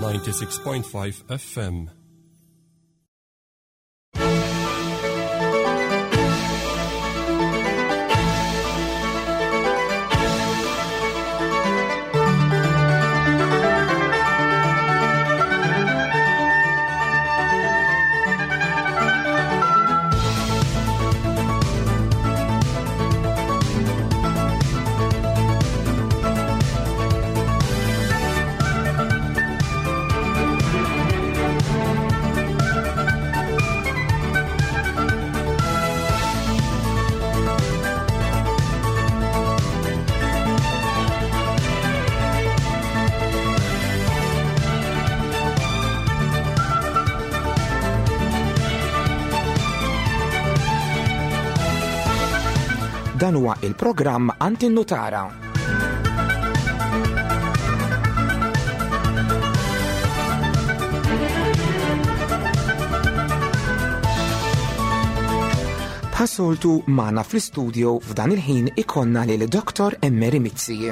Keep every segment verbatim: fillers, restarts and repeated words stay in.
ninety-six point five F M. Dan huwa il-programm Għand in-Nutara. Bħas-soltu magħna fl-istudio f'dan il-ħin ikonna lil Doktor Emery Mizzi.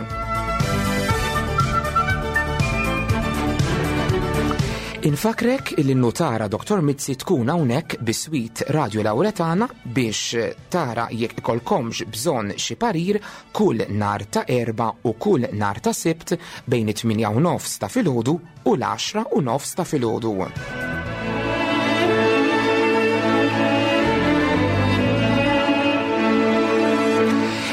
Infakrek illi n-nutara Doktor Mizzi tkun hawnhekk biswit Radio Lauretana biex tara jekk ikolkomx bżonn xi parir kull nar ta' Erba' u kull nar ta' Sibt bejn it-tmienja u nofs ta' filgħodu u l-għaxra u nofs ta' filgħodu.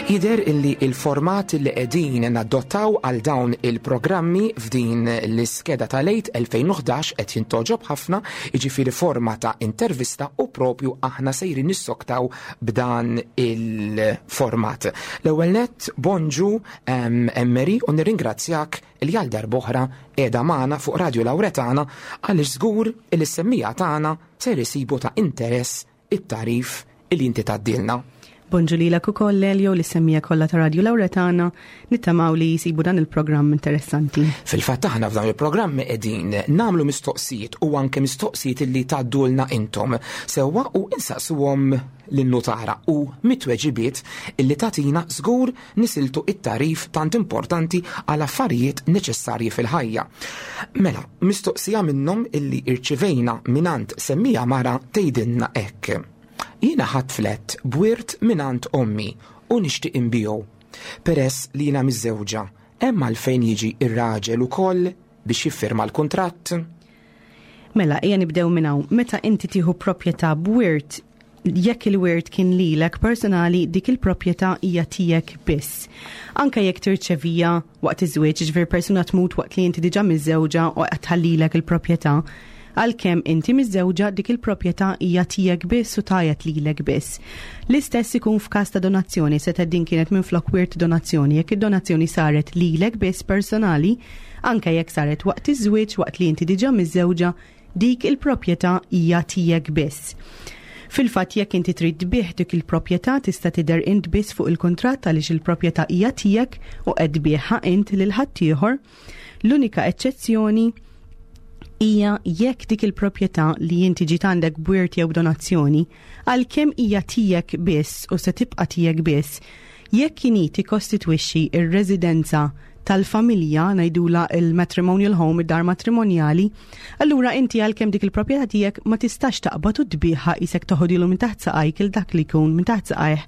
Jidher illi il-format li qegħdin nadottaw għal dawn il-programmi f'din l-iskeda tal-Għid elfejn u ħdax qed jintoġob ħafna, jiġifieri forma ta' intervista u propju aħna sejrin nissoktaw b'dan il-format. L-ewwel nett, bonġu, em, Emery, u nirringrazzjak li għal darb'oħra qiegħda magħna fuq Radio Lauretana għaliex żgur li s-semmija tagħna ser isibu ta' interess it-tarif illi inti tgħaddilna. Bonġu lilek ukoll, Elio, li semmija kollha ta' Radio Lauretana, nittamaw li jisibu dan il-programm interessanti. Fil-fatt aħna f'dan il-programm qegħdin nagħmlu mistoqsijiet u anke mistoqsijiet li tgħaddulna intom sewwa u insaqsuhom lin-nutara u mitweġibiet illi tagħtina żgur nisiltu it-tarif tant importanti għal affarijiet neċessarji fil-ħajja. Mela, mistoqsija minnhom illi irċivejna mingħand semmija mara tgħidilna hekk. Jiena ħadt flett b'wirt mingħand ommi u nixtieq inbiegħu. Peress li jiena miżżewġa, hemm għalfejn jiġi ir-raġel ukoll biex jiffirma l-kuntratt? Mela, ejja nibdew minn hawn. Meta inti tieħu proprjetà b'wirt, jekk il-wirt kien lilek personali, dik il-proprjetà hija tiegħek biss. Anke jekk tirċevija waqt iż-żwieġ, jiġifieri persuna tmut waqt li inti diġà miżżewġa u qed tħallilek il-proprjetà, għalkemm inti miżżewġa dik il-proprjetà hija tiegħek biss u tajat lilek biss. L-istess ikun f'każ ta' donazzjoni, seta' din kienet minflok wirt donazzjoni, jekk id-donazzjoni saret lilek biss personali, anke jekk saret waqt iż-żwieġ waqt li inti diġà miżżewġa, dik il-proprjetà hija tiegħek biss. Fil-fatt jekk inti trid tbigħ dik il-proprjetà tista' tidher int biss fuq il-kuntratt għaliex il-proprjetà hija tiegħek u qed tbigħha int lil ħaddieħor. L-unika eċċezzjoni hija jekk dik il-proprjetà li inti ġiet għandek b'wirt jew donazzjoni, għalkemm hija tiegħek biss u se tibqa' tiegħek biss, jekk inhi tikkostitwixxi r-residenza tal-familja, ngħidula il-matrimonial home, id-dar matrimonjali, allura inti għalkemm dik il-proprjetà tiegħek ma tistax taqbad u tbigħha qisek toħodilu minn taħt saqajk il dak li jkun minn taħt saqajh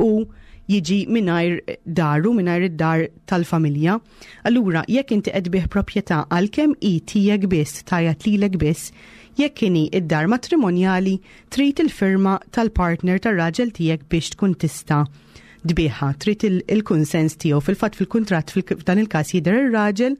u jiġi mingħajr daru, mingħajr id-dar tal-familja. Allura, jekk inti qed tbigħ proprjetà għalkemm hi tiegħek biss, tajat lilek biss, jekk inhi id-dar matrimonjali, trid il-firma tal-partner tar-raġel tiegħek biex tkun tista' tbigħha, trid il-, il-kunsens tiegħu. Fil-fatt fil-kuntratt fil-, f'dan il-każ jidher ir-raġel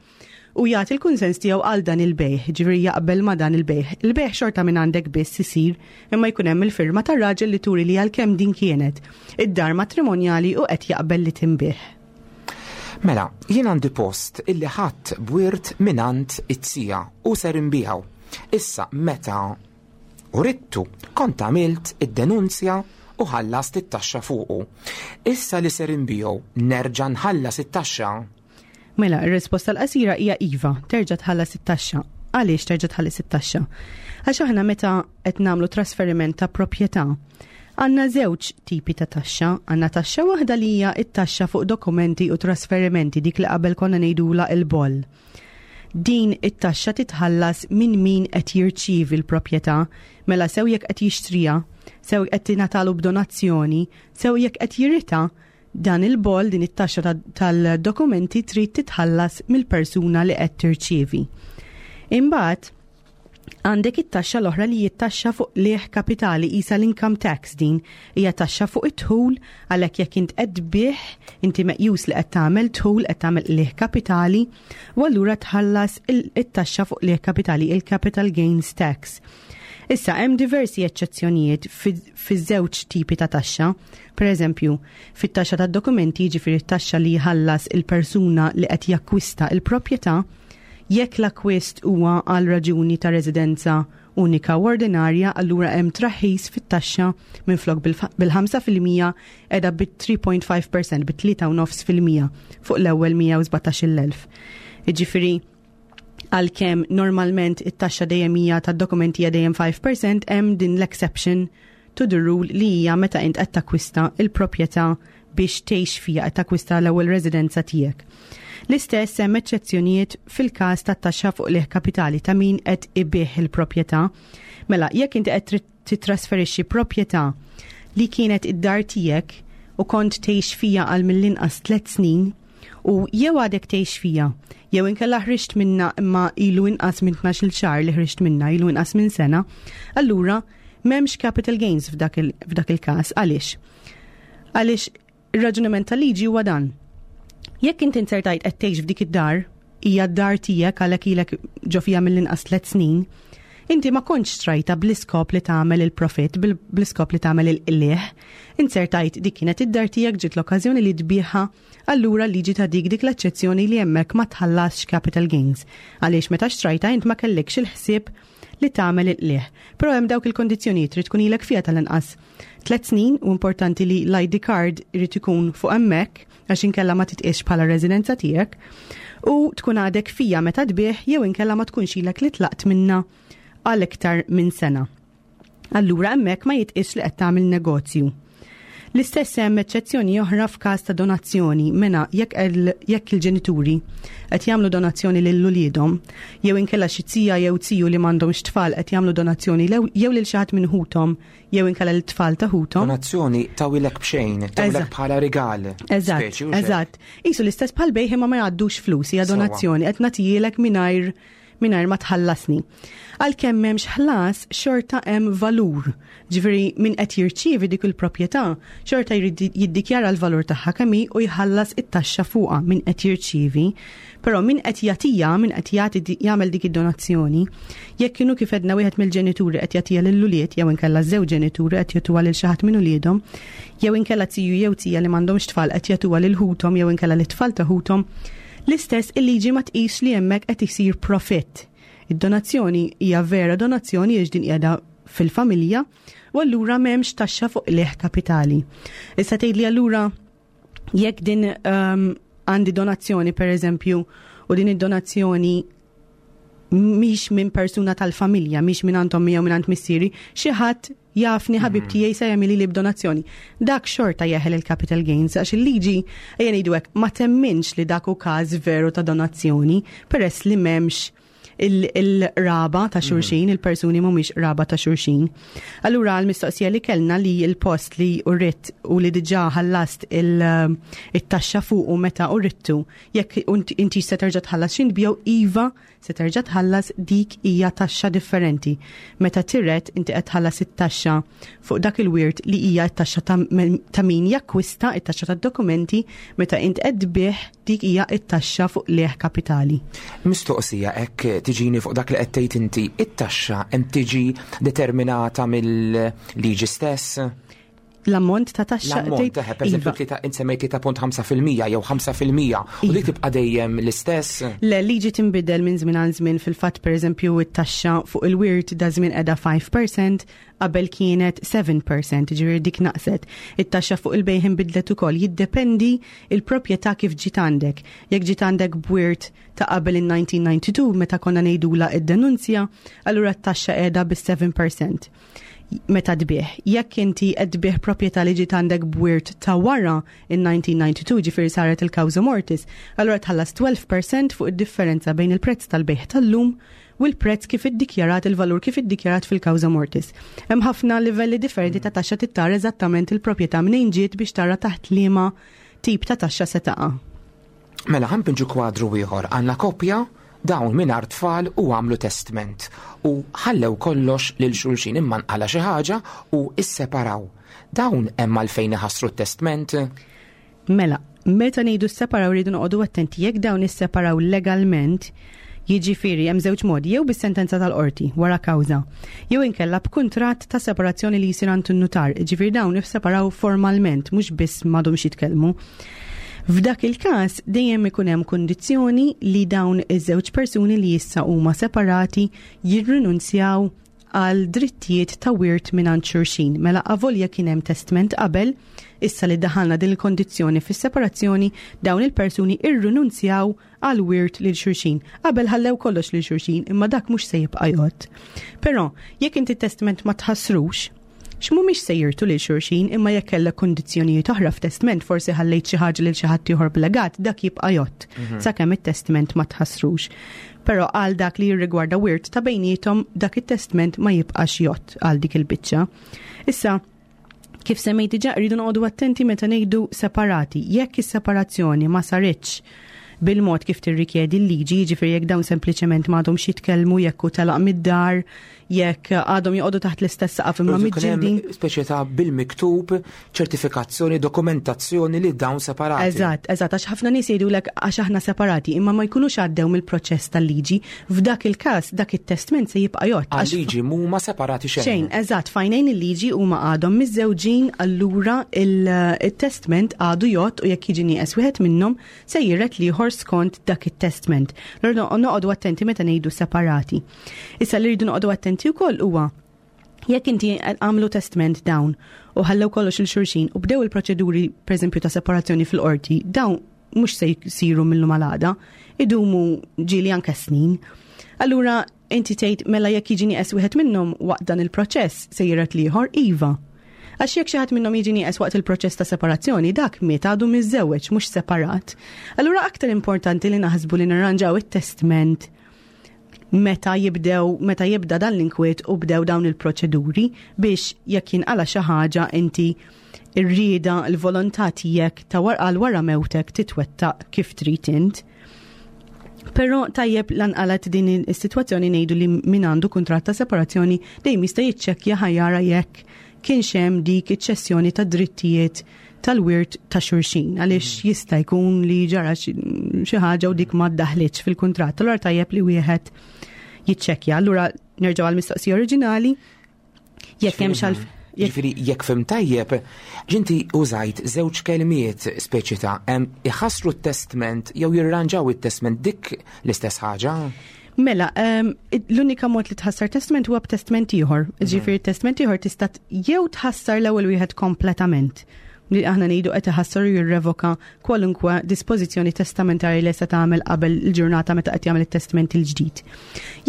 u jagħti l-kunsens tiegħu għal dan il-bejħ, ġifieri jaqbel ma' dan il-bejħ. Il-bejħ xorta minn għandek biss isir, imma jkun hemm il-firma tar-raġel li turi li għalkemm din kienet id-dar matrimonjali u qed jaqbel li tinbigħ. Mela, jien għandi post illi ħadd b'wirt mingħand it-sija u ser inbiegħu. Issa meta urittu kont għamilt id-denunzja u ħallast it-taxxa fuqu. Issa li ser inbiegħu nerġa' nħallas it-taxxa? Mela, ir-risposta l-qasira hija iva, terġa' tħallas it-taxxa. Għaliex terġa' tħallas it-taxxa? Għax aħna meta qed nagħmlu trasferiment ta' proprjetà, għandna żewġ tipi ta' taxxa. Għandna taxxa waħda li hija t-taxxa fuq dokumenti u trasferimenti, dik li qabel konna ngħidula il-boll. Din it-taxxa titħallas minn min qed jirċievi l-proprjetà, mela sew jekk qed jixtriha, sew qed tingħatalu b'donazzjoni, sew jekk qed jiritha, dan il-boll, din it-taxxa tal-dokumenti trid titħallas mill-persuna li qed tirċievi. Imbagħad għandek it-taxxa l-oħra li it-taxxa fuq qligħ kapitali, isa l-income tax. Din hija taxxa fuq it-dħul, għalhekk jekk int qed tbigħ, inti meqjus li qed tagħmel dħul, qed tagħmel qligħ kapitali, u allura tħallas it-taxxa fuq qligħ kapitali, il-capital gains tax. Issa hemm diversi eċċezzjonijiet fiż-żewġ tipi ta' taxxa. Per eżempju, fit-taxxa tad-dokumenti, jiġifieri t-taxxa li jħallas il-persuna li qed jakkwista il-proprjetà, jekk l-akwist huwa għal raġuni ta' residenza unika u ordinarja, allura hemm traħħis fit-taxxa, minflok bil-ħamsa fil-mija qiegħda bit-tlieta punt ħamsa fil-mija, bit-tlieta u nofs fil-mija fuq l-ewwel mija u sbatax-il elf. Jiġifieri għalkemm normalment it-taxxa dejjem hija tad-dokumenti hija dejjem ħamsa fil-mija, hemm din l-exception to the rule li hija meta int qed takkwista il-proprjetà biex tgħix fija, qed takkwista l-ewwel residenza tiegħek. L-istess hemm eċċezzjonijiet fil-każ tat-taxxa fuq qligħ kapitali ta' min qed ibigħ il-proprjetà. Mela, jekk inti qed titrasferixxi proprjetà li kienet id-dar tiegħek u kont tgħix fija għal mill-inqas tliet snin u jew għadek tgħix fija jew inkella ħriġt minna imma ilu inqas minn tnax-il xahar li ħriġt minna, ilu inqas minn sena, allura m'hemmx capital gains f'dak il-każ. Għaliex? Għaliex ir-raġunament tal-liġi huwa dan. Jekk inti inzertajt qed tgħix f'dik id-dar, hija d-dar tiegħek għalhekk ilek ġo fiha mill-inqas tliet snin, inti ma kontx xtrajtha bl-iskop li tagħmel il-profit, bl-iskop li tagħmel il-qligħ. Inzertajt dik kienet id-dar tiegħek, ġiet l-okkażjoni li tbigħha, allura liġi ta' dik dik l-eċċezzjoni li hemmhekk ma tħallasx capital gains. Għaliex meta xtrajtha int ma kellekx il-ħsieb li tagħmel il-qligħ. Però hemm dawk il-kondizzjonijiet: trid tkun ilek fiha tal-inqas tliet snin u importanti li l-I D card irid ikun fuq hemmhekk għax inkella ma titqisx bħala residenza tiegħek u tkun għadek fija meta tbigħ jew inkella ma tkunx ilek li tlaqt minna għal iktar minn sena. Allura hemmhekk ma jitqis li qed tagħmel negozju. L-istess hemm eċċezzjoni oħra f'każ ta' donazzjoni, mela jekk jekk il-ġenituri qed jagħmlu donazzjoni lil uliedhom jew inkella xi zija jew ziju li m'għandhomx tfal qed jagħmlu donazzjoni jew lil xi ħadd minn ħuthom jew inkella l tfal ta' ħuthom. Donazzjoni, tawhielek b'xejn, tawhielek bħala rigal. Eżatt, eżatt. Isu l-istess bħal bejħ imma ma jgħaddux flus, hija donazzjoni, qed nagħtihielek mingħajr mingħajr ma tħallasni. Għalkemm m'hemmx ħlas, xorta hemm valur. Ġifieri min qed jirċievi dik il-proprjetà, xorta jrid jiddikjara l-valur tagħha kemm hi u jħallas it-taxxa fuqha min qed jirċievi. Però min qed jagħtiha, min qed jagħti, jagħmel dik id-donazzjoni, jekk kienu kif edna wieħed mill-ġenituri qed jagħtiha lil ulied jew inkella żewġ ġenituri qed jagħtuha lil xi ħadd minn uliedhom, jew inkella ziju jew zija li m'għandhomx tfal qed jagħtuha lil ħuthom jew inkella lit-tfal ta' ħuthom, l-istess, il-liġi ma tqis li hemmhekk qed isir profit. Id-donazzjoni hija vera donazzjoni għax din qiegħda fil-familja u allura m'hemmx taxxa fuq qligħ kapitali. Issa tgħidli allura jekk din um, għandi donazzjoni, per eżempju, u din id-donazzjoni mhix minn persuna tal-familja, mhix minn għand ommi jew minn għand missieri, xi ħadd jafni, ħabib tiegħi se jagħmel li b'donazzjoni. Dak xorta jeħel il-capital gains għax il-liġi, ejja ngħidu hekk, ma temminx li dak hu każ veru ta' donazzjoni peress li m'hemmx il-qraba ta' xulxin, il-persuni mhumiex qraba ta' xulxin. Allura għal-mistoqsija li kellna li il-post li uritt u li diġà ħallast il-taxxa fuq u meta urittu, jekk inti se terġa' tħallas x'ħin tbigħu, iva, se terġa' tħallas, dik hija taxxa differenti. Meta tiret, inti qed tħallas it-taxxa fuq dak il-wirt li hija t-taxxa ta' min jakkwista, it-taxxa tad-dokumenti, meta int qed tbigħ, dik hija t-taxxa fuq qligħ kapitali. Mistoqsija hekk tiġini fuq dak li qed tgħid inti, it-taxxa hemm tiġi determinata mill-liġi stess? L-ammont ta' taxxa? L-ammont, per eżempju, iva. Insemmejt tlieta punt ħamsa fil-mija jew ħamsa fil-mija u li tibqa' dejjem l-istess? Le, liġi tinbidel minn żmien għal żmien. Fil-fatt, per eżempju, it-taxxa fuq il-wirt da żmien qiegħda ħamsa fil-mija, qabel kienet seba' fil-mija, ġifieri dik naqset. It-taxxa fuq il-bejħ inbidlet ukoll, jiddependi il-proprjetà kif ġiet għandek. Jekk ġiet għandek b'wirt ta' qabel in-elf disa' mija u tnejn u disgħin, meta konna ngħidula id-denunzja, allura t-taxxa qiegħda bis-seba' fil-mija. Meta tbigħ. Jekk inti qed tbigħ proprjetà li ġiet għandek b'wirt ta' wara in elf disa' mija u tnejn u disgħin, ġifieri saret il-kawża mortis, allura tħallas tnax fil-mija fuq id-differenza bejn il-prezz tal-bejgħ tal-lum u l-prezz kif iddikjarat, il-valur kif iddikjarat fil-kawża mortis. Hemm ħafna livelli differenti ta' taxxa, trid tara eżattament il-proprjetà mnejn ġiet biex tara taħt liema tip ta' taxxa se taqa'. Mela ħa npinġu kwadru ieħor. Għandna koppja dawn mingħajr tfal u għamlu testament u ħallew kollox lil xulxin, imma nqala xi ħaġa u isseparaw. Dawn hemm għalfejn iħassru t-testament? Mela, meta ngħidu separaw, rridu noqogħdu attenti. Jekk dawn isseparaw legalment, jiġifieri hemm żewġ modi: jew bis-sentenza tal-qorti wara kawża, jew inkella b'kuntratt ta' separazzjoni li jsir għand in-nutar, jiġifieri dawn isseparaw formalment, mhux biss m'għadhomx jitkellmu. F'dak il-każ dejjem ikun hemm kundizzjoni li dawn iż-żewġ persuni li issa huma separati jirrinunzjaw għal drittijiet ta' wirt minn xulxin. Mela avolja kien hemm testament qabel, issa li daħalna din il-kondizzjoni fis-separazzjoni, dawn il-persuni irrinunzjaw għal wirt lil xulxin. Qabel ħallew kollox lil xulxin, imma dak mhux se jibqa' jgħodd. Però jekk inti testament ma tħassrux, x'mhumiex se jirtu lil xulxin, imma jekk kellek kondizzjonijiet oħra f'testament, forsi ħallejt xi ħaġa lil xi ħadd ieħor b'legat, dak jibqa' jgħodd mhm. sakemm it-testament ma tħassrux. Però għal dak li jirrigwarda wirt ta' bejniethom, dak it-testament ma jibqax jgħodd għal dik il-biċċa. Issa, kif semmejt diġà, rridu noqogħdu attenti meta ngħidu separati. Jekk is-separazzjoni ma saritx bil-mod kif tirrikjedi l-liġi, jiġifieri jekk dawn sempliċement m'għadhomx jitkellmu, jekk hu telaq mid-dar, jekk għadhom joqogħdu taħt l-istess saqaf imma miġġieldin. Speċi ta' bil-miktub, ċertifikazzjoni, dokumentazzjoni li dawn separati. Eżatt, eżatt, għax ħafna nies jgħidulek għax aħna separati, imma ma jkunux għaddew mill-proċess tal-liġi. F'dak il-każ dak it-testament se jibqa' jgħodd. Għal-liġi mhuma separati xejn. Xejn, eżatt, f'għajnejn il-liġi huma għadhom miżżewġin, allura il-testament għadu jgħodd u jekk jiġi nieqes wieħed minnhom se jiret l-ieħor skont dak it-testament. Noqogħdu attenti meta ngħidu separati. Issa li rridu noqogħdu attenti wkoll huwa jekk inti għamlu testament dawn u ħallew kollox lil xulxin u bdew il-proċeduri, pereżempju, ta' separazzjoni fil-qorti, dawn mhux se jsiru mil-lum għal għada, idumu ġieli anke snin. Allura inti tgħid, mela jekk jiġi nieqes wieħed minnhom waqt dan il-proċess, se jiret l-ieħor? Iva. Għax jekk xi ħadd minnhom jiġi nieqes waqt il-proċess ta' separazzjoni, dak miet għadu miżżewweġ, mhux separat. Allura aktar importanti li naħsbu li nirranġaw it-testament meta jibdew meta jibda dan l-inkwiet u bdew dawn il-proċeduri, biex jekk jinqala xi ħaġa, inti ir-rieda, l-volontà tiegħek ta' għal wara mewtek titwettaq kif trid int. Però tajjeb lanqalat din is-sitwazzjoni ngħidu li min għandu kuntratt ta' separazzjoni dejjem jista' jiċċekkja ħa jara jekk kienx hemm dik iċ-ċessjoni ta' drittijiet tal-wirt ta' xulxin, għaliex mm. jista' jkun li ġara xi ħaġa u dik ma ddaħlitx fil-kuntratt. Allura tajjeb li wieħed jiċċekkja. Allura nerġgħu għall-mistoqsija oriġinali, jekk hemm xalf Ġifieri, jekk fhimt tajjeb, inti użajt żewġ kelmiet speċi ta' iħassru t-testament jew jirranġaw it-testament, dik l-istess ħaġa? Mela, l-unika mod li tħassar testament huwa b'testament ieħor. Mhm. Ġifieri testament ieħor tista' jew tħassar l-ewwel wieħed kompletament, li aħna ngħidu qed iħassar u jirrevoka kwalunkwe dispożizzjoni testamentari li se tagħmel qabel il-ġurnata meta qed jagħmel it-testament il-ġdid.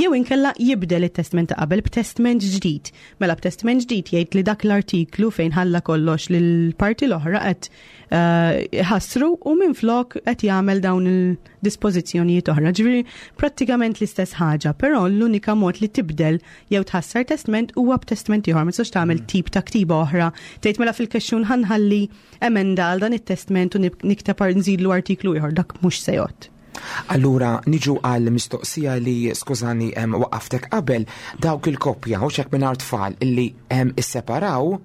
Jew inkella jibdel it-testament ta' qabel b'testament ġdid. Mela b'testament ġdid jgħid li dak l-artiklu fejn ħalla kollox lil parti l-oħra qed eh, ħassru u minflok qed jagħmel dawn il-dispożizzjonijiet oħra. Ġifieri prattikament l-istess ħaġa, però l-unika mod li tibdel jew tħassar testament huwa b'testament ieħor, ma tistax tagħmel mm. tip ta' ktiba oħra. Tgħid mela fil-kexxun ħa nħalli emenda għal dan it-testament u nikteb, nżidlu artiklu ieħor, dak mhux se jgħodd. Allura niġu għal mistoqsija li, skużani, waqaftek qabel, dawk il-koppja u ċek minn tfal illi isseparaw,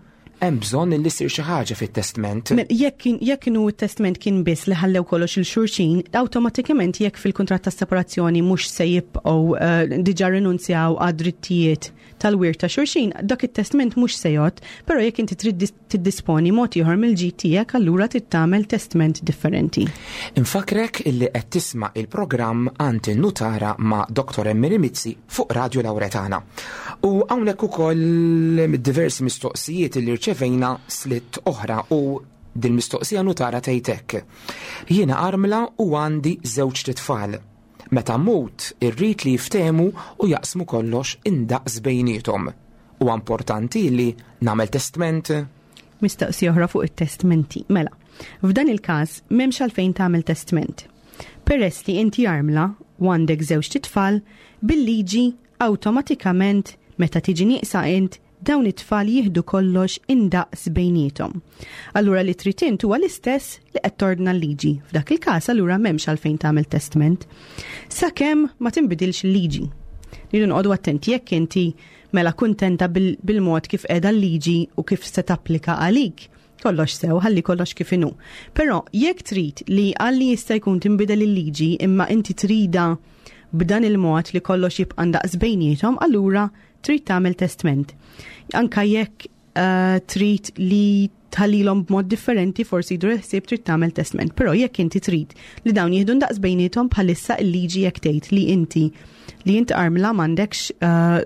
hemm bżonn li ssir xi ħaġa fit-testament. Jekk jekk inhu t-testament kien biss li ħallew kollox lil xulxin, awtomatikament jekk fil-kuntratt ta' separazzjoni mhux se jibqgħu uh, diġà rinunzjaw għad drittijiet tal-wirt ta' xulxin, dak it-testament mhux se jgħodd, però jekk inti trid tiddisponi mod ieħor mill-ġid tiegħek, allura trid tagħmel testament differenti. Infakrek illi qed tisma' il-programm Għand in-Nutara ma' Doktor Emily Mizzi fuq Radio Lauretana. U hawnhekk ukoll mid-diversi mistoqsijiet li rċevejna slitt oħra u din mistoqsija nutara tgħidlek: "Jiena armla u għandi żewġ titfal. Meta mmut irrid li jiftehmu u jaqsmu kollox indaqs bejniethom. Huwa importanti li nagħmel testment? Mistoqsija oħra fuq it-testmenti. Mela, f'dan il-każ m'hemmx għalfejn tagħmel testment. Peress li inti armla u għandek żewġt itfal, bil-liġi awtomatikament meta tiġi nieqsa int, dawn it-tfal jieħdu kollox indaqs bejniethom. Allura li trid int huwa l-istess li qed tordna l-liġi. F'dak il-każ allura m'hemmx għalfejn tagħmel testment. Sakemm ma tinbidilx il-liġi. Rridu noqogħdu attenti. Jekk inti mela kuntenta bil-mod kif qiegħda l-liġi u kif se tapplika għalik, kollox sew, ħalli kollox kif inhu. Però jekk trid li għalli jista' jkun tinbidel il-liġi imma inti trida b'dan il-mod li kollox jibqa' ndaqs bejniethom, allura trid tagħmel testment. Anka jekk uh, trid li tħallilhom b'mod differenti, forsi jidru ħsieb, trid tagħmel testment. Però jekk inti trid li dawn jieħdu ndaqs bejniethom, bħalissa il-liġi jekk tgħid li inti li inti armla, m'għandekx uh,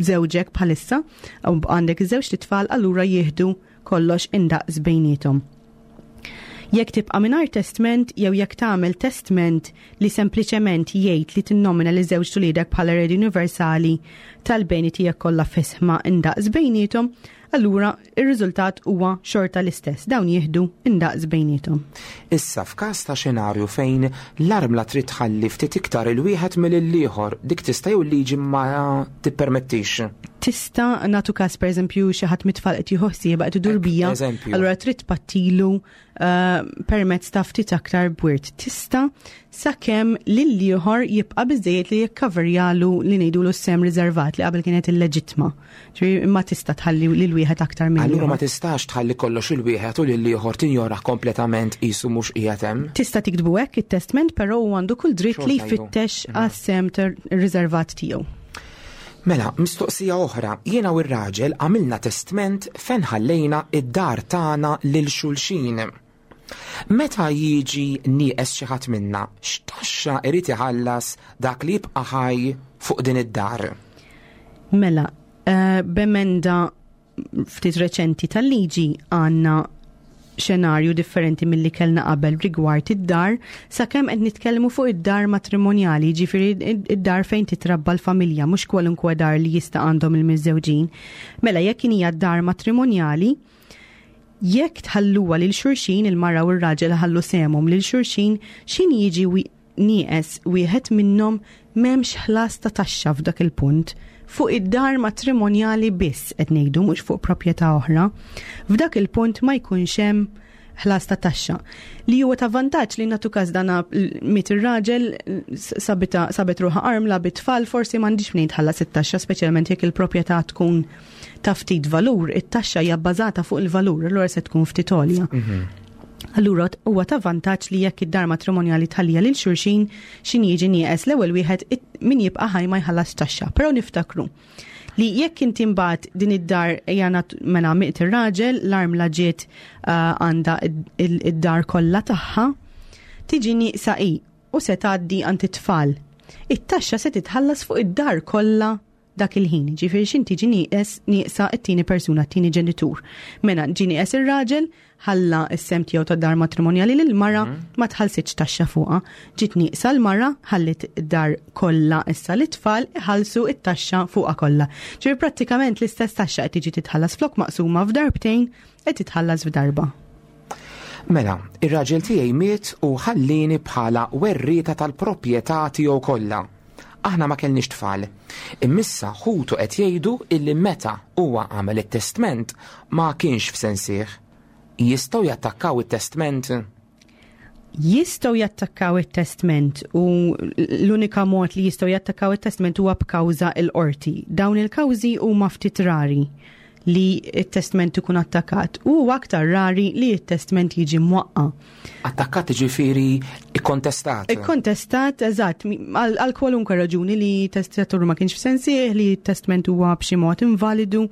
żewġek bħalissa u għandek iż-żewġ tfal, allura jieħdu kollox indaqs bejniethom. Jekk tibqa' mingħajr testment jew jekk tagħmel testment li sempliċement jgħid li tinnomina li żewġ uliedek bħala eredi universali tal-beni tiegħek kollha f'ishma indaqs bejniethom, allura ir-riżultat huwa xorta l-istess. Dawn jieħdu indaqs bejniethom. Issa f'każ ta' xenarju fejn l-armla trid tħalli ftit iktar il-wieħed mill-ieħor, dik tista' jew liġi ma tippermettix? Tista'. Nagħtu każ, pereżempju, xi ħadd mit-tfal qed jieħu ħsiebha, qed idur bija, allura trid tpattilu uh, permezz ta' ftit aktar bwirt. Tista', sakemm lill-ieħor jibqa' biżejjed li jikkaverjalu li ngħidulu s-sehem riservat li qabel kienet il-leġitma. Imma tista' tħalli lil wieħed aktar minn. Allura ma tistax tħalli kollox il wieħed u lil ieħor tinjorah kompletament, qisu mhux qiegħed hemm. Tista' tiktbu hekk it-testment, però hu għandu kull dritt li jfittex mhm. għas-sehem riservat tiegħu. Mela, mistoqsija oħra, jiena u r-raġel għamilna testment fejn ħallejna id-dar tagħna lil xulxin. Meta jiġi nieqes xi ħadd minna, x'taxxa irid iħallas dak li jibqa' ħaj fuq din id-dar? Mela, uh, b'emenda ftit reċenti tal-liġi għandna xenarju differenti milli kellna qabel rigward id-dar, sakemm qed nitkellmu fuq id-dar matrimonjali, ġifieri id-dar fejn titrabba l-familja, mhux kwalunkwe dar li jista' għandhom il-miżżewġin. Mela jekk hija dar matrimonjali, jekk tħalluha lil xulxin, il-mara u r-raġel ħallu sehemhom lil xulxin, xin jiġi nieqes wieħed minnhom, m'hemmx ħlas ta' taxxa f'dak il-punt fuq id-dar matrimonjali biss qed ngħidu, mhux fuq proprjetà oħra. F'dak il-punt ma jkunx hemm ħlas ta' taxxa. Li huwa ta' vantaġġ li nagħtu każ dana miet ir-raġel, sabita sabet ruħha armla bit-tfal, forsi m'għandix mnejn tħallas it-taxxa, speċjalment jekk il-proprjetà tkun ta' ftit valur, it-taxxa hija bbażata fuq il-valur, allura se tkun ftit għolja. Mhm. Allura huwa ta' vantaġġ li jekk id-dar matrimonjali tħallija lil xulxin, xin jiġi nieqes l-ewwel wieħed, min jibqa' ħaj ma jħallas taxxa. Però niftakru li jekk inti mbagħad din id-dar jana mela miet ir-raġel, l-armla ġiet uh, għandha id-dar kollha tagħha, tiġi nieqsa i u se tgħaddi għand it-tfal. It-taxxa se titħallas fuq id-dar kollha dak il-ħin. Ġifieri xin tiġi nieqes nieqsa t-tieni persuna, t-tieni ġenitur. Mela ġi nieqes ir-raġel, ħalla s-sehem tiegħu tad dar matrimonjali lil mara, mhm. ma tħallsitx taxxa fuqha. Ġiet nieqsa l-mara, ħallit id-dar kollha issa l-itfal, iħallsu it-taxxa fuqha kollha. Ġifieri prattikament l-istess taxxa qed tiġi titħallas, flok maqsuma f'darbtejn qed titħallas f'darba. Mela, ir-raġel tiegħi miet u ħallini bħala werrieta tal-proprjetà tiegħu kollha. Aħna ma kellniex tfal. Imma issa ħutu qed jgħidu illi meta huwa għamel it-testment ma kienx f'sensih. Jistgħu jattakkaw it-testment? Jistgħu jattakkaw it-testment u l-unika mod li jistgħu jattakkaw it-testment huwa b'kawża il-qorti. Dawn il-kawżi huma ftit rari li it-testment ikun attakkat u aktar rari li it-testment jiġi mwaqqa. Attakkat ġifieri ikkontestat. Ikkontestat, eżatt, għal kwalunkwe raġuni, li testatur ma kienx f'sensih, li t-testment huwa b'xi mod invalidu.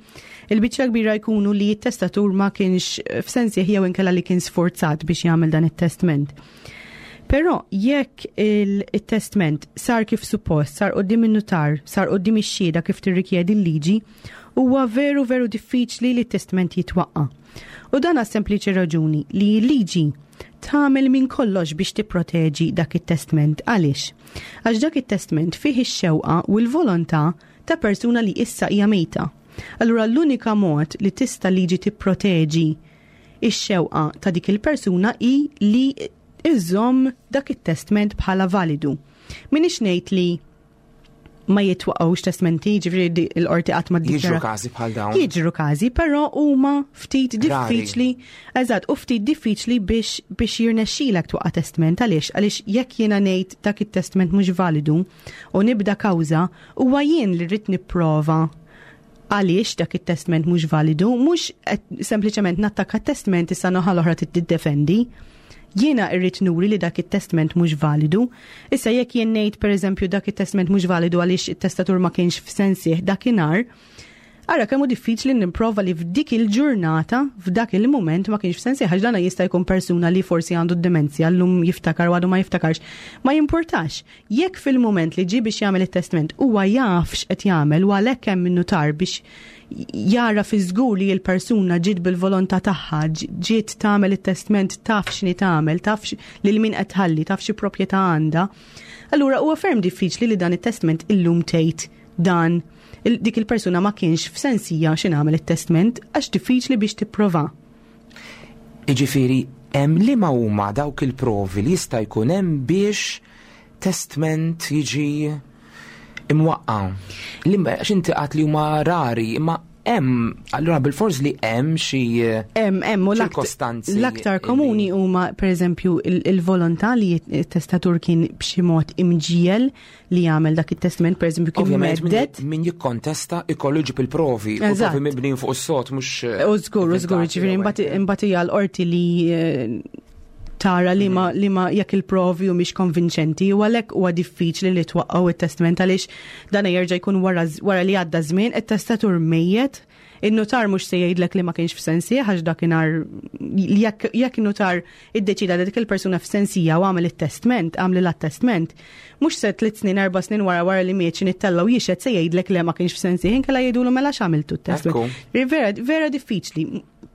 Il-biċċa kbira jkunu li t-testatur ma kienx f'sensih jew inkella li kien sforzat biex jagħmel dan it-testment. Però jekk il-testment sar kif suppost, sar quddiem in-nutar, sar quddiem ix-xhieda kif tirrikjedi l-liġi, huwa veru veru diffiċli li t-testment jitwaqqa. U dan għas sempliċi raġuni li l-liġi tagħmel minn kollox biex tipproteġi dak it-testment. Għaliex? Għax dak it-testment fih ix-xewqa u l-volontà ta' persuna li issa hija mejta. Allura l-unika mod li tista' liġi tipproteġi ix-xewqa ta' dik il-persuna hi li iżżomm dak it-testment bħala validu. Minix ngħid li ma jitwaqgħux testmenti, ġifieri l-qorti qatt ma Jiġru każi bħal dawn. Jiġru każi, però huma ftit diffiċli, eżatt, u ftit diffiċli biex biex jirnexxilek twaqqa' testment. Għaliex? Għaliex jekk jiena ngħid dak it-testment mhux validu u nibda kawża, huwa jien li rrid nipprova għaliex dak it-testment mhux validu, mhux sempliċement nattakka testment, issa naħa l-oħra tiddefendi. Jiena irrid nuri li dak it-testment mhux validu. Issa jekk jien ngħid, pereżempju, dak it-testment mhux validu għaliex it-testatur ma kienx f'sensih dakinhar, ara kemm hu diffiċli nipprova li f'dik il-ġurnata, f'dak il-moment ma kienx f'sensih, għax dana jista' jkun persuna li forsi għandu d-demenzja, llum jiftakar u għadu ma jiftakarx. Ma jimpurtax. Jekk fil-moment li ġi biex jagħmel it-testament huwa jaf x'qed jagħmel u għalhekk hemm in-nutar biex jara fi żgur li l-persuna ġiet bil-volontà tagħha, ġiet tagħmel it-testament, taf x'inhi tagħmel, taf lil min qed tħalli, taf xi proprjetà għandha. Allura huwa ferm diffiċli li dan it-testament illum tgħid dan dik il-persuna ma kienx f'sensija x'inhi għamel it-testament, għax diffiċli biex tipprova. Iġifieri, hemm li ma huma dawk il-provi li jista' jkun hemm biex testament jiġi imwaqqa'? Li għax inti qatt li huma rari, imma hemm allura bil-fors li hemm xi Hemm hemm u ċirkostanzi. L-aktar komuni huma, pereżempju, il-volontà li t-testatur kien b'xi mod imġiel li jagħmel dak it-testament, pereżempju kien Ovvjament min, mhedded. min jikkontesta ikollu jġib il-provi, u Eżatt. provi mibnin fuq is-sod, mhux U żgur, u żgur, ġifieri mbagħad imbagħad hija l-qorti li eh, tara li ma li ma jekk il-provi u mhix konvinċenti, u għalhekk huwa diffiċli li twaqqgħu it-testament, għaliex dan jerġa' jkun wara wara li għadda żmien, it-testatur mejjet, in-notar mhux se jgħidlek li ma kienx f'sensija, għax dakinhar jekk jekk in-notar iddeċida li dik il-persuna f'sensija u għamel it-testament, għamel l-testament, mhux se tliet snin, erba' snin wara, wara li miet, xi nittellgħu jixhed, se jgħidlek li ma kienx f'sensija, inkella jgħidulu mela x'għamiltu t-testament. Ekku. Vera, vera diffiċli,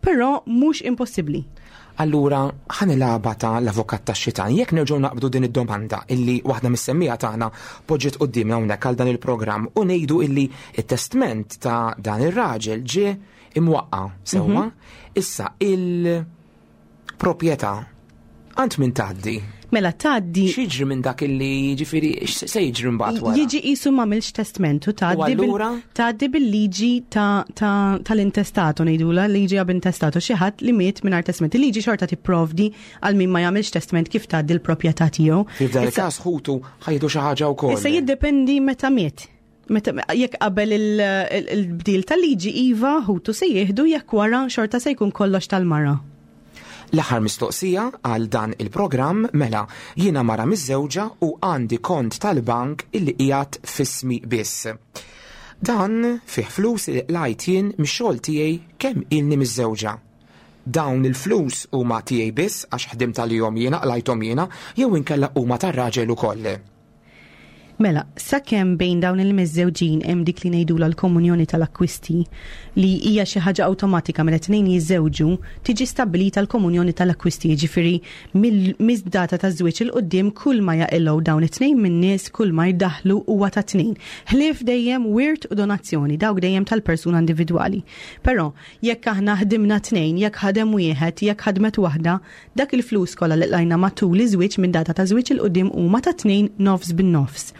però mhux impossibbli. Allura, ħa nilgħabha ta' l-avukat ta' xitan. Jekk nerġgħu naqbdu din id-domanda illi waħda mis-semmiegħa tagħna poġġiet qudiemna hawnhekk għal dan il-programm u ngħidu illi it-testament ta' dan ir-raġel ġie imwaqqa' sewwa, issa il-proprjetà għand min tgħaddi? Mela tgħaddi X'jiġri minn dak illi, ġifieri, se jiġri mbagħad wara? Jiġi qisu m'għamilx testament u tgħaddi U allura? Tgħaddi bil-liġi ta' ta' tal-intestato, ngħidula liġi ab intestato, xi ħadd li miet mingħajr testament. Il-liġi xorta tipprovdi għal min ma jagħmilx testament kif tgħaddi l-proprjetà tiegħu. F'dan Issa- il-każ ħutu ħa jieħdu xi ħaġa wkoll. Issa jiddependi meta miet. Meta jekk qabel il- il- il-bdil tal-liġi, iva, ħutu se jieħdu, jekk wara, xorta se jkun kollox tal-mara. L-aħħar mistoqsija għal dan il-programm mela: jiena mara miżżewġa u għandi kont tal-bank illi qiegħed f'ismi biss. Dan fih flus li qlajt jien mix-xogħol tiegħi kemm ilni miżżewġa. Dawn il-flus huma tiegħi biss għax ħdimt għalihom jiena, qlajthom jiena, jew inkella huma tar-raġel ukoll? Mela, sakemm bejn dawn il-miżżewġin hemm dik li ngħidula l-komunjoni tal-akkwisti, li hija xi ħaġa awtomatika meta tnejn jiżżewġu, tiġi stabbilita l-komunjoni tal-akkwisti, jiġifieri mill-data ta' żwieġ 'il quddiem kull ma jaqilgħu dawn it-tnejn min-nies, kull ma jdaħlu huwa ta' tnejn. Ħlief dejjem wirt u donazzjoni, dawk dejjem tal-persuna individwali. Però jekk aħna ħdimna tnejn, jekk ħadem wieħed, jekk ħadmet waħda, dak il-flus kollha li qlajna matul iż-żwieġ minn data ta' żwieġ 'il quddiem huma ta' tnejn, nofs bin-nofs.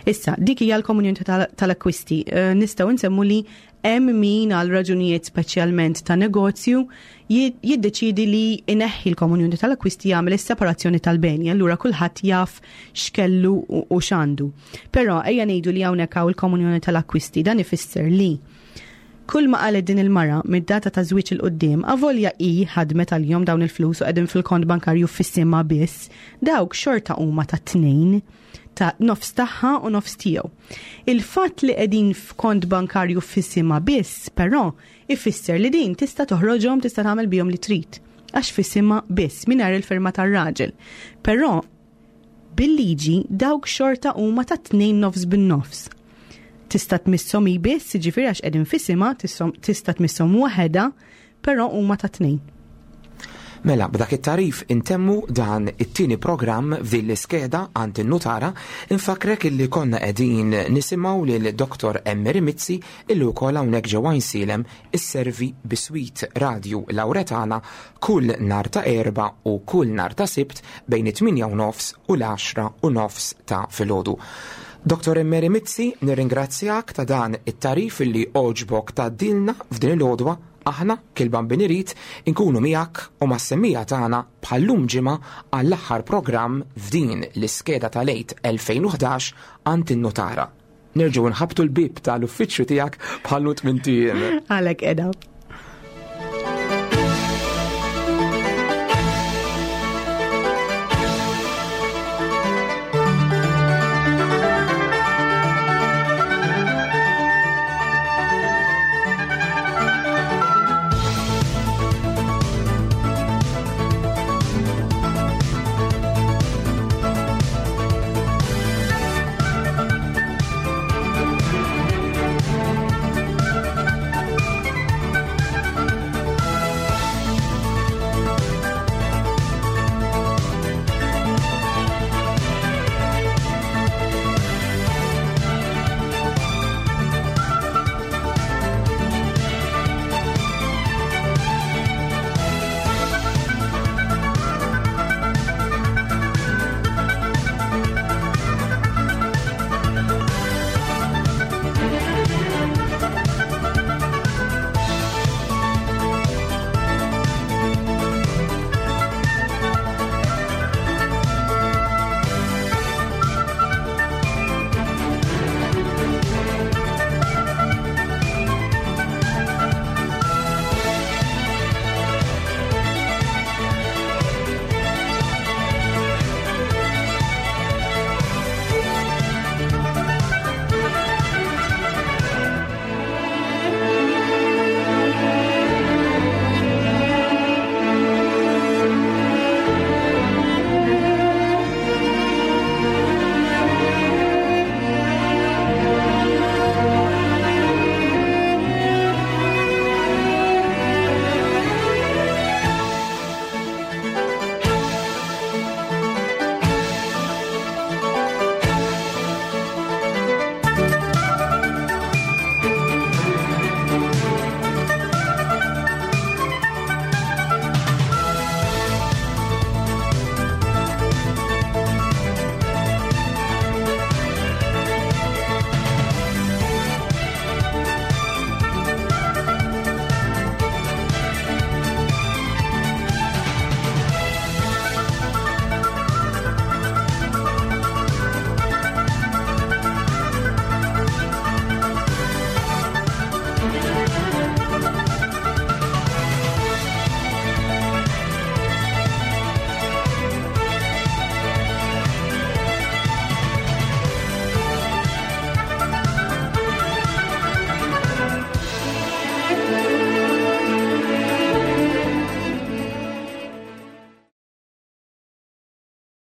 Issa, dik hija l-komunjoni tal-akkwisti. Eh, nistgħu nsemmu li hemm min għal raġunijiet speċjalment ta' negozju jiddeċidi li ineħħi l-komunjoni tal-akkwisti, jagħmel is-separazzjoni tal-beni, allura kulħadd jaf x'kellu u x'għandu. Però ejja ngħidu li hawnhekk hawn il-komunjoni tal-akkwisti, dan ifisser li kull ma qalet din il-mara mid-data ta' żwieġ 'il quddiem, avolja i ħadmet għalihom dawn il-flus u qegħdin fil-kont bankarju f'isimha biss, dawk xorta huma ta' tnejn, ta' nofs tagħha u nofs tiegħu. Il-fatt li qegħdin f'kont bankarju f'isimha biss, però, ifisser li din tista' toħroġhom, tista' tagħmel bihom li trid, għax f'isimha biss mingħajr il-firma tar-raġel. Però bil-liġi dawk xorta huma ta' tnejn, nofs bin-nofs. Tista' tmisshom hi biss, jiġifieri għax qegħdin f'isimha, tista' tmisshom waħedha, però huma ta' tnejn. Mela, b'dak it-tagħrif intemmu dan it-tieni programm f'din l-iskeda Għand in-Nutara. Infakrek illi konna qegħdin nisimgħu lil Doktor Emmeri Mizzi, illi wkoll hawnhekk ġewwa Għajnsielem isservi biswit Radju Lawretana kull nhar ta' Erbgħa u kull nhar ta' Sibt bejn it-tmienja u nofs u l-għaxra u nofs ta' filgħodu. Doktor Emmeri Mizzi, nirringrazzjak ta' dan it-tagħrif illi għoġbok tgħaddilna f'din il-għodwa. Aħna kil-Bambin irid inkunu miegħek u mas-semmiegħa tagħna bħallum ġimgħa għall-aħħar programm f'din l-iskeda tal-Għid elfejn u ħdax, Għand in-Nutara. Nerġgħu nħabtu l-bib tal-uffiċċju tiegħek bħallu tmint ijiem. Għalek edha.